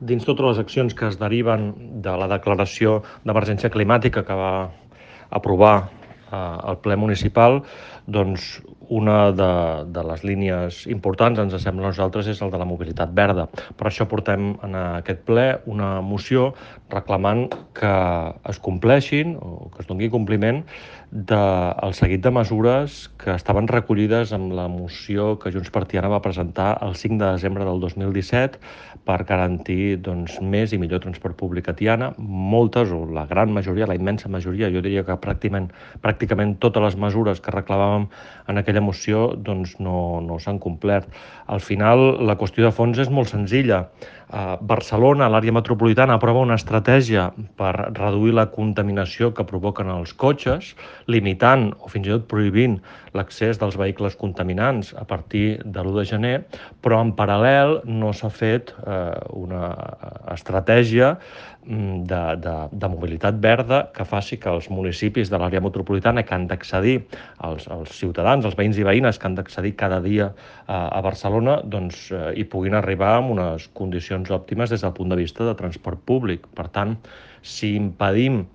Dins totes les accions que es deriven de la declaració d'emergència climàtica que va aprovar el ple municipal, doncs una de les línies importants, ens sembla a nosaltres, és el de la mobilitat verda. Per això portem en aquest ple una moció reclamant que es compleixin o que es doni compliment del seguit de mesures que estaven recollides en la moció que Junts per Tiana va presentar el 5 de desembre del 2017 per garantir més i millor transport públic a Tiana. Moltes, o la gran majoria, la immensa majoria, jo diria que pràcticament totes les mesures que reclamàvem en aquella moció no s'han complert. Al final, la qüestió de fons és molt senzilla. Barcelona, l'àrea metropolitana, aprova una estratègia per reduir la contaminació que provoquen els cotxes, limitant o fins i tot prohibint l'accés dels vehicles contaminants a partir de l'1 de gener, però en paral·lel no s'ha fet una estratègia de mobilitat verda que faci que els municipis de l'àrea metropolitana que han d'accedir, els ciutadans, els veïns i veïnes que han d'accedir cada dia a Barcelona, hi puguin arribar amb unes condicions òptimes des del punt de vista de transport públic. Per tant, si impedim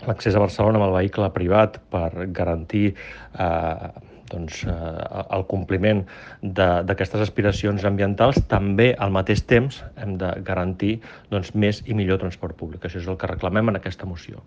l'accés a Barcelona amb el vehicle privat per garantir el compliment d'aquestes aspiracions ambientals, també al mateix temps hem de garantir més i millor transport públic. Això és el que reclamem en aquesta moció.